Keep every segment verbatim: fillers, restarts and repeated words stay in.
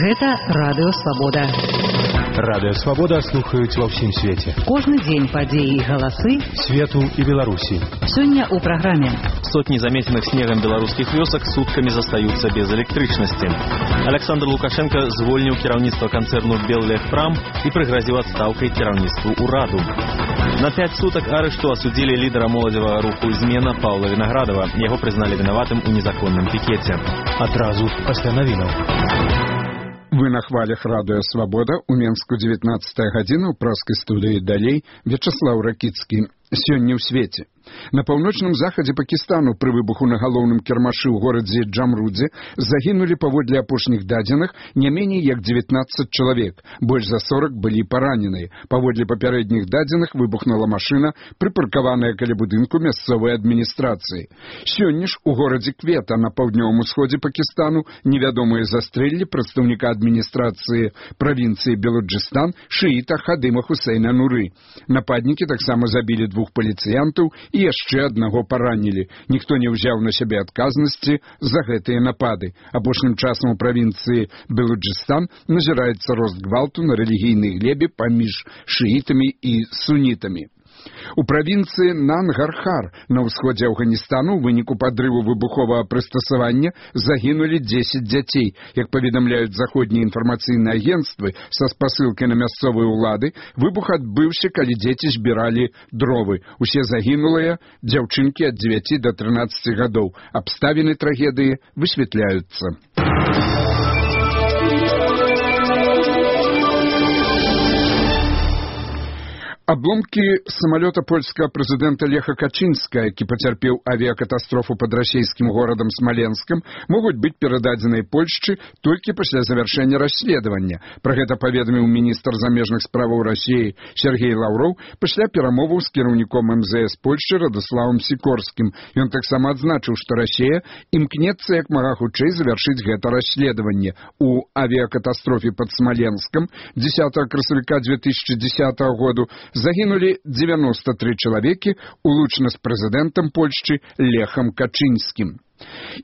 Гэта Радыё Свабода. Радыё Свабода слухаюць ва ўсім свеце. Кожны дзень падзеі і галасы свету і Беларусі. Сёння ў праграме. Сотні заметных снегам беларускіх вёсак суткамі застаюцца без электрычнасці. Александр Лукашенко звольніў кіраўніцтва канцэрну «Беллегпрам» і прыгразіў адстаўкай кіраўніцтву ўраду. На пять суток арышту осудили лидера молодого руху «Измена» Павла Виноградова. Его признали виноватым у незаконном пикете. Отразу пасля навінаў. Вы на хвалях Радыё Свабода. У Менску дзевятнаццатая гадзіна, у праскай студыі далей Вячаслаў Ракіцкі. Сёння ў свеце. На паўночным захадзе Пакістану пры выбуху на галоўным кірмашы ў горадзе Джамрудзе загінулі паводле апошніх дадзеных не меней як дзевятнаццаць чалавек. Больш за сорок былі параненыя. Паводле папярэдніх дадзеных выбухнула машына, прыпаркаваная каля будынку мясцовай адміністрацыі. Сёння ж у горадзе Квета на паўднёвым усходзе Пакістану невядомыя застрэлілі прадстаўніка адміністрацыі правінцыі Белуджыстан шыіта Хадыма Хусейна Нуры. Нападнікі таксама забілі двух паліцыянтаў і яшчэ аднаго паранілі. Ніхто не ўзяў на сябе адказнасці за гэтыя напады. Апошнім часам у правінцыі Белуджыстан назіраецца рост гвалту на рэлігійнай глебе паміж шыітамі і сунітамі. У правінцыі Нангархар на ўсходзе Афганістану ў выніку падрыву выбуховага прыстасавання загінулі дзесяць дзяцей. Як паведамляюць заходнія інфармацыйныя агенцтвы са спасылкай на мясцовыя ўлады, выбух адбыўся, калі дзеці збіралі дровы. Усе загінулыя дзяўчынкі ад дзевяці да трынаццаці гадоў. Абставіны трагедыі высвятляюцца. Обломки самолета польского президента Леха Качинска, які потерпел авиакатастрофу под российским городом Смоленском, могут быть передадены Польшчы только после завершения расследования. Про это поведомил министр замежных справаў России Сергей Лавров после перамоваў с кіраўніком эм зэ эс Польшчы Радославом Сикорским. И он таксама адзначыў, что Россия імкнецца як мага хутчэй завершить гэта расследование. У авиакатастрофе под Смоленском десятого красавіка две тысячи десятого году загинули девяносто три человеки, улучшено с президентом Польшчы Лехом Качинским.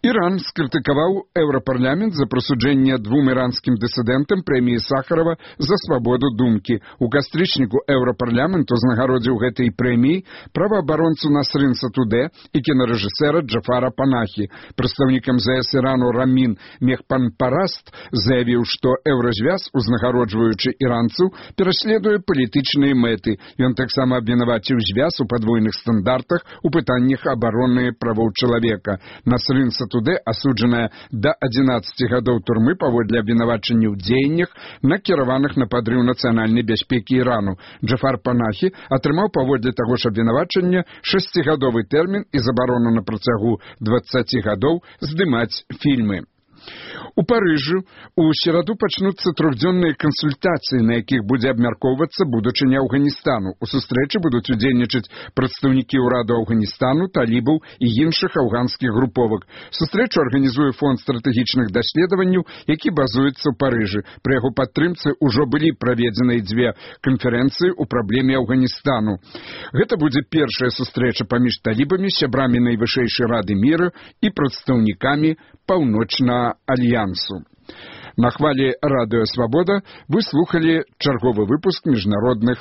Иран скрытыкаваў Еўрапарламент за прысуджэнне двум іранскім дысідэнтам прэміі Сахарова за свабоду думкі. У кастрычніку Еўрапарламент узнагародзіў гэтай прэміі праваабаронцу Насрын Сатудэ і кінарэжысэра Джафара Панахі. Прадстаўнік эм зэ эс Ірану Рамін Мехпанпараст заявіў, што Еўразвяз, узнагароджваючы іранцаў, пераследуе палітычныя мэты. Ён таксама абвінаваціў звяз у падвойных стандартах у пытаннях абароны правоў чалавека. Насрын Сатудэ, асуджаная да адзінаццаці гадоў турмы паводле абвінавачання ў дзеяннях, накіраваных на падрыў нацыянальнай бяспекі Ірану. Джафар Панахі атрымаў паводле таго ж абвінавачання шасцігадовы тэрмін і забарону на працягу дваццаці гадоў здымаць фільмы. У Парыжы у сераду пачнуцца трохдзённыя кансультацыі, на якіх будзе абмяркоўвацца будучыня Афганістану. У сустрэчы будуць удзельнічаць прадстаўнікі ўраду Афганістану, талібаў і іншых афганскіх груповак. Сустрэчу арганізуе фонд стратэгічных даследаванняў, які базуецца ў Парыжы. Пры яго падтрымцы ўжо былі праведзеныя дзве канферэнцыі ў праблеме Афганістану. Гэта будзе першая сустрэча паміж талібамі, сябрамі найвышэйшай рады міра і прадстаўнікамі Паўночнага альянсу. На хвале Радыё Свабода вы слухали чарговы выпуск міжнародных